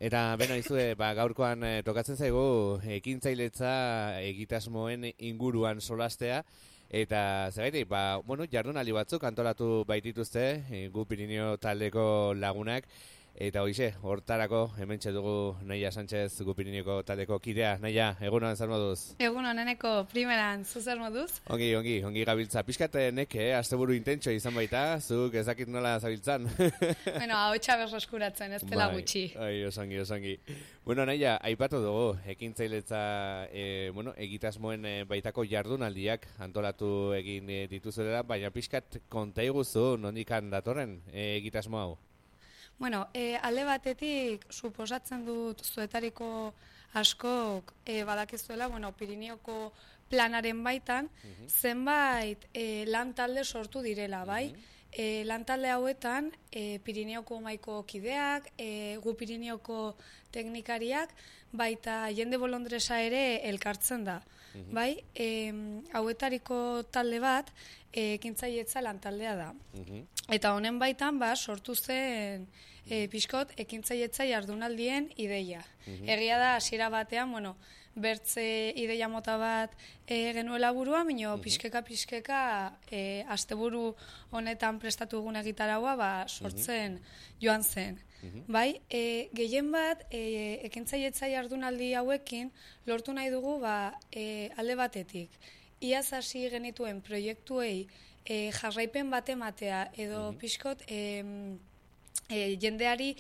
Eta beno izue, gaurkoan tokatzen zaigu ekintzailetza egitasmoen inguruan solastea, eta zergatik, jardunaldi batzuk antolatu baitituzte gu Pirinio taldeko lagunak, eta hoize, hortarako hementxe dugu Naia Sánchez gu Pirinioko taldeko kidea. Naia, egunon zer moduz? Egunon, eneko primeran, zu zer moduz? Ongi gabiltza. Pixkatenek, asteburu intentxo izan baita, zuk ez dakit nola zabiltzan. Bueno, hau txabez eskuratzen, ez dela gutxi. Osongi. Bueno, Naia, aipatu dugu, ekintzailetza, egitasmoen baitako jardunaldiak antolatu egin dituzuela, baina pixkat konta iguzu nondikan datorren egitasmo hau? Bueno, alde batetik, suposatzen dut zuetariko askok badakizuela, Pirinioko planaren baitan, zenbait lan talde sortu direla, bai? Lan talde hauetan, Pirineoko maiko kideak, gu Pirinioko teknikariak, baita jende bolondresa ere elkartzen da. Bai, hauetariko talde bat, ekintzailetza lan taldea da. Eta honen baitan, sortu zen pixkot ekintzailetza jardunaldien ideia. Egia da, hasiera batean, bertze ideia mota bat genuela burua, minio pixkeka asteburu honetan prestatu egun egitaraua sortzen joan zen. Bai, gehien bat ekintzailetza jardunaldi hauekin lortu nahi dugu alde batetik. Iaz hasi genituen proiektuei jarraipen bat ematea edo pixkot jendeari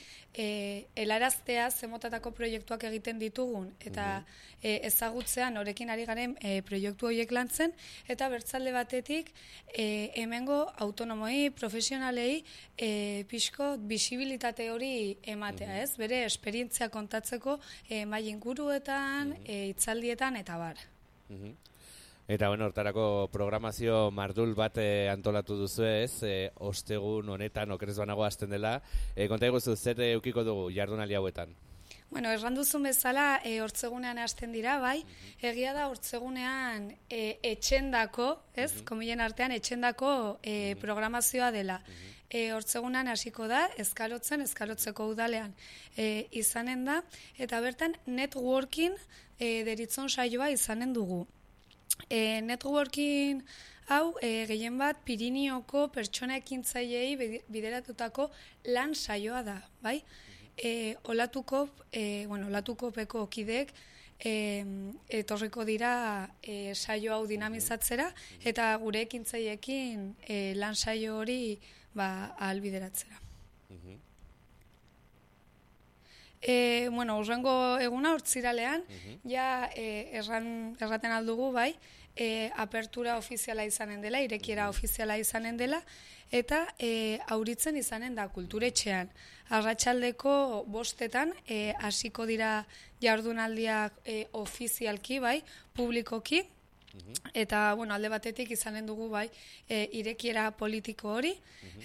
helaraztea zemotatako proiektuak egiten ditugun eta ezagutzea norekin ari garen proiektu horiek lantzen eta bertzalde batetik hemengo autonomoi, profesionalei pixkot bisibilitate hori ematea, ez? Bere esperientzia kontatzeko mahai inguruetan, hitzaldietan eta bar. Eta hortarako programazio mardul bat antolatu duzu ez, ostegun honetan okerez banago hasten dela. Konta iguzu, zer eukiko dugu jardunaldi hauetan? Erran duzun bezala, hortzegunean hasten dira, bai? Egia da hortzegunean etxendako, ez? Komilen artean etxendako programazioa dela. Hortzegunean hasiko da, eskalotzeko udalean izanen da, eta bertan networking deritzon saioa izanen dugu. Networking hau gehien bat Pirinioko pertsona ekintzailei bideratutako lan saioa da, bai? Olatukopeko kideek etorriko dira saio hau dinamizatzera eta gure ekintzaileekin lan saio hori ahalbideratzera. Urrengo eguna hortziralean, erraten aldugu, bai, apertura ofiziala izanen dela, irekiera ofiziala izanen dela, eta auritzen izanen da kulturetxean. Arratsaldeko 5:00 hasiko dira jardunaldiak ofizialki, bai, publikoki, eta, alde batetik izanen dugu, bai, irekiera politiko hori,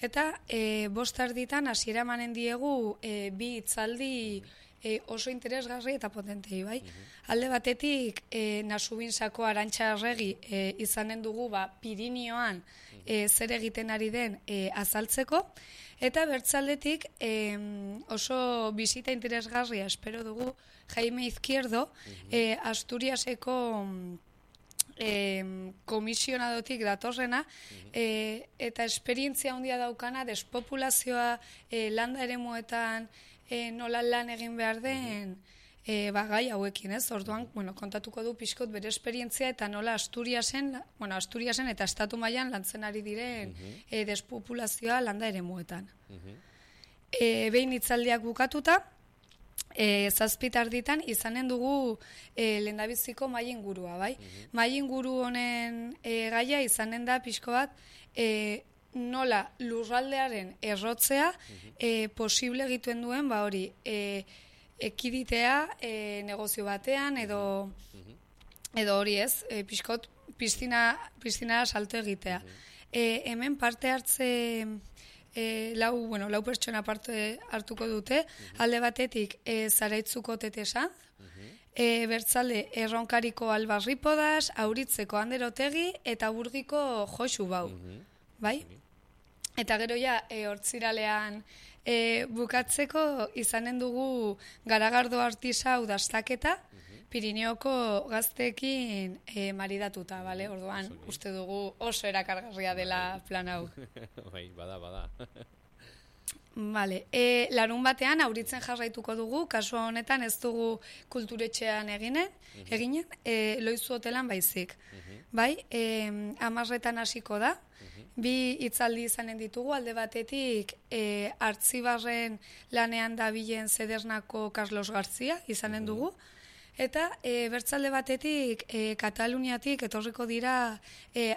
eta 5:30 hasiera emanen diegu bi hitzaldi oso interesgarri eta potentei, bai. Alde batetik, Nasubinsako Arantxa Arregi izanen dugu, Pirinioan zer egiten ari den azaltzeko, eta bertzaldetik oso bisita interesgarria espero dugu Jaime Izquierdo, Asturiaseko komisionadotik datorrena, eta esperientzia handia daukana despopulazioa landa eremuetan nola lan egin behar den gai hauekin, ez? Orduan, kontatuko du pixkot bere esperientzia eta nola Asturiasen eta estatu mailan lantzen ari diren despopulazioa landa eremuetan. Behin hitzaldiak bukatuta, 7:00 izanen dugu lehendabiziko mahai ingurua, bai? Mahai inguru honen gaia izanen da pixko bat nola lurraldearen errotzea posible egiten duen, hori, ekiditea negozio batean edo hori ez, pixkot piztina salto egitea. Hemen parte hartze lau pertsona parte hartuko dute, alde batetik Zaraitzuko Tetesa, bertzalde Erronkariko Albarripodas, Auritzeko Ander Otegi eta Burgiko Josu Bau. Bai? Eta gero ja, hortziralean bukatzeko izanen dugu Garagardo artisau dastaketa, Pirineoko gazteekin maridatuta, bale? Orduan, uste dugu oso erakargarria dela plan hau. Bai, bada. Vale, larun batean auritzen jarraituko dugu, kasu honetan ez dugu kulturetxean eginen, Loizu hotelan baizik. Bai, 10:00 hasiko da, bi hitzaldi izanen ditugu, alde batetik Artzibarren lanean dabilen Zedernako Carlos Garzia izanen dugu, eta bertzalde batetik Kataluniatik etorriko dira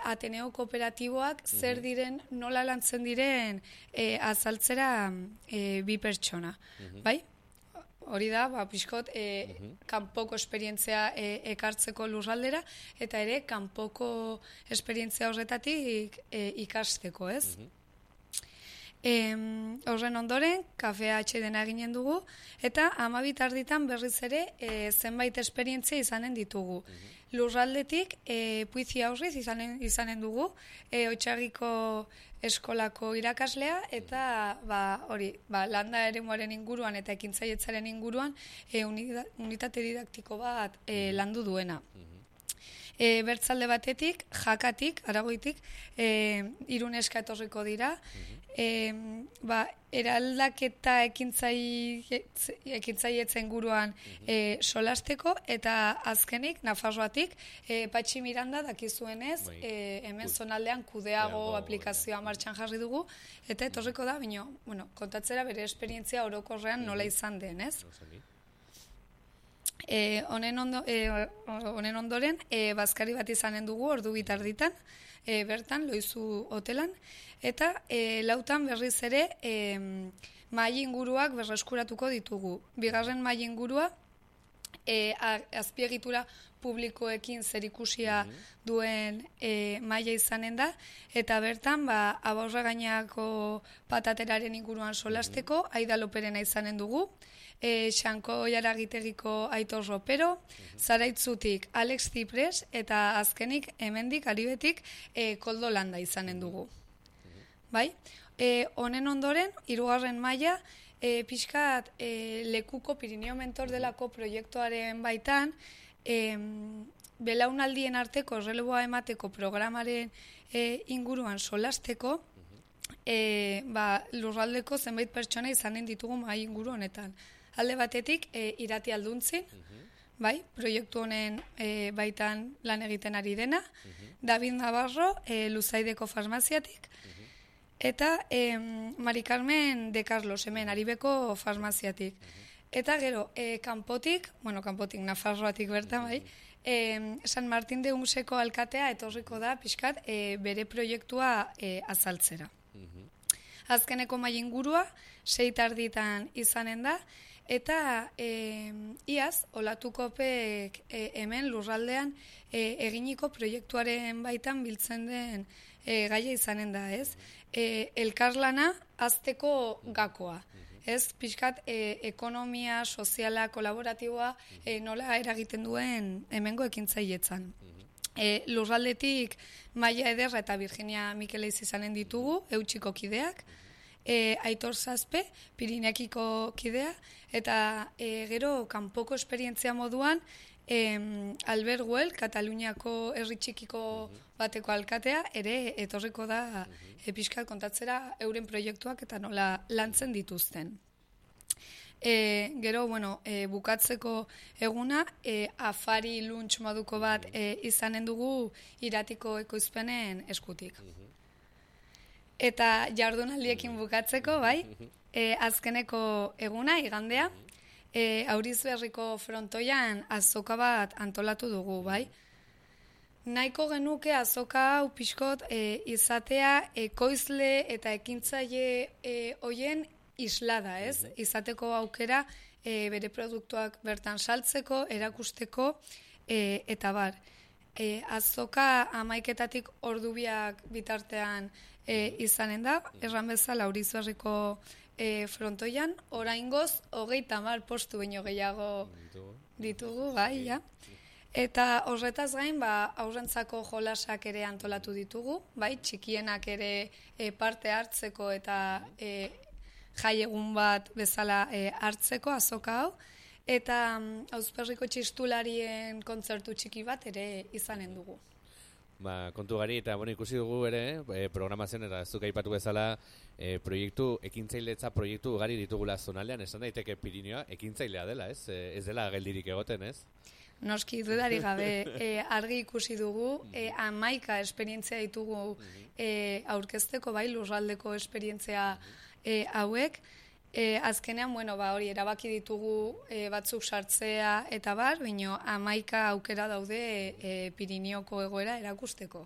Ateneo kooperatiboak zer diren, nola lantzen diren azaltzera bi pertsona. Bai? Hori da, pixkot, kanpoko esperientzia ekartzeko lurraldera, eta ere kanpoko esperientzia horretatik ikasteko, ez? Horren ondoren, kafea atxedena eginen dugu, eta 12:00 berriz ere zenbait esperientzia izanen ditugu. Lurraldetik, Puizi aurriz izanen dugu, Otxagiko eskolako irakaslea, eta landa eremuaren inguruan eta ekintzaietzaren inguruan unitate didaktiko bat landu duena. Bertzalde batetik, Jakatik, Aragoitik, Iruneska etorriko dira, eraldaketa ekintzailetzen guruan solasteko, eta azkenik, Nafarroatik, Patxi Miranda dakizuenez, hemen zonaldean kudeago aplikazioa martxan jarri dugu, eta etorriko da, kontatzera bere esperientzia orokorrean nola izan den, ez? Honen ondoren, bazkari bat izanen dugu, ordu bitarditan, bertan, Loizu hotelan, eta 4:00 berriz ere mahai inguruak berreskuratuko ditugu. Bigarren mahai ingurua, azpiegitura publikoekin zerikusia duen maila izanen da, eta bertan, Abaurra gainako patateraren inguruan solasteko, Aida Loperena izanen dugu, Xanko Jaragitegiko Aitor Ropero, Zaraitzutik Alex Zipres, eta azkenik hemendik Aribetik Koldo Landa izanen dugu. Bai? Honen ondoren, 3. maila, pixkat lekuko Pirineo Mentor delako proiektuaren baitan, belaunaldien arteko erreleboa emateko programaren inguruan solasteko, lurraldeko zenbait pertsona izanen ditugu mahai inguru honetan. Alde batetik, Irati Alduntzin, bai, proiektu honen baitan lan egiten ari dena, David Navarro, Luzaideko farmaziatik, eta Mari Carmen de Carlos, hemen, Aribeko farmaziatik. Eta gero, kanpotik, Nafarroatik bertan, bai, San Martin de Unseko alkatea etorriko da, pixkat, bere proiektua azaltzera. Azkeneko mahai ingurua, 6:30 izanen da, eta iaz, Olatukopek hemen lurraldean eginiko proiektuaren baitan biltzen den gaia izanen da, ez? Elkarlana azteko gakoa. Ez, pixkat, ekonomia, soziala, kolaboratiboa nola eragiten duen hemengo ekintzailetzan. Lurraldetik Maia Ederra eta Virginia Mikeleiz izanen ditugu, Eutxiko kideak, Aitor Zazpe, Pirineakiko kidea, eta gero kanpoko esperientzia moduan, Albert Güell, Kataluniako herri txikiko bateko alkatea, ere etorriko da pixkat kontatzera euren proiektuak eta nola lantzen dituzten. Gero, bukatzeko eguna, afari lunch moduko bat izanen dugu Iratiko ekoizpenen eskutik. Eta jardunaldiekin bukatzeko, bai, azkeneko eguna, igandea, Aurizberriko frontoian azoka bat antolatu dugu, bai. Nahiko genuke azoka hau pixkot izatea ekoizle eta ekintzaile hoien islada, ez? Izateko aukera bere produktuak bertan saltzeko, erakusteko, eta bar. Azoka 11:00 ordubiak bitartean izanen da, erran bezala Aurizberriko frontoian, oraingoz 30 postu baino gehiago ditugu, bai, ja. Eta horretaz gain, haurrentzako jolasak ere antolatu ditugu, bai, txikienak ere parte hartzeko eta jai egun bat bezala hartzeko azoka hau, eta Auzperriko txistularien kontzertu txiki bat ere izanen dugu. Kontu gari, eta ikusi dugu ere, programazioan, eta zuk aipatu bezala, ekintzailetza proiektu gari ditugula zonaldean, esan daiteke Pirinioa ekintzailea dela, ez? Ez dela geldirik egoten, ez? Noski, dudari gabe, argi ikusi dugu, 11 esperientzia ditugu aurkezteko, bai, lurraldeko esperientzia hauek. Azkenean, hori erabaki ditugu batzuk sartzea eta bar, baina 11 aukera daude Pirinioko egoera erakusteko.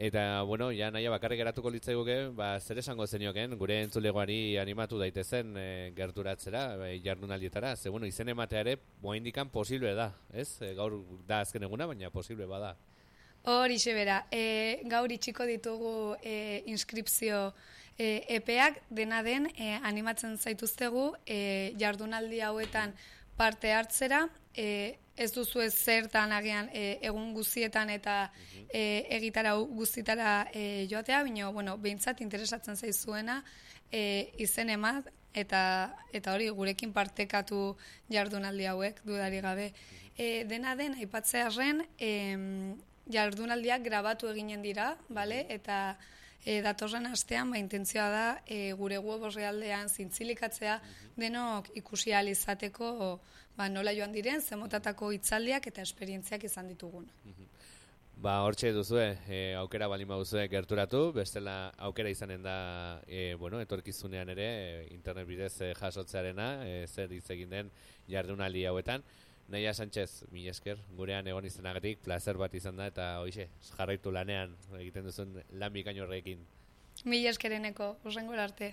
Eta, ja naia bakarrik geratuko litzaiguke, zer esango zenioken, gure entzulegoari animatu daitezen gerturatzera, jardunaldietara, ze, izen ematea ere, moaindikan posible da, ez? Gaur da azken eguna, baina posible bada. Horixe bera, gaur itxiko ditugu inskripzio epeak, dena den animatzen zaituztegu jardunaldi hauetan parte hartzera, ez duzu ez zertan agian egun guztietan eta egitarau guztitara joatea, baina behintzat interesatzen zaizuena izen emat eta hori gurekin partekatu jardunaldi hauek dudari gabe. Dena den, aipatzearren, jardunaldiak grabatu eginen dira, bale? Eta datorren astean, intentzioa da gure web orrialdean zintzilikatzea denok ikusi ahal izateko nola joan diren, zemotatako hitzaldiak eta esperientziak izan ditugun. Hortxe duzue, aukera balin baduzue gerturatu, bestela aukera izanen da, etorkizunean ere, internet bidez jasotzearena, zer hitz egin den jardunaldi hauetan. Naia Sánchez, mila esker, gurean egon izanagatik, placer bat izan da, eta hoize, jarraitu lanean egiten duzun lan bikain horrekin. Mila eskereneko, urrengora arte.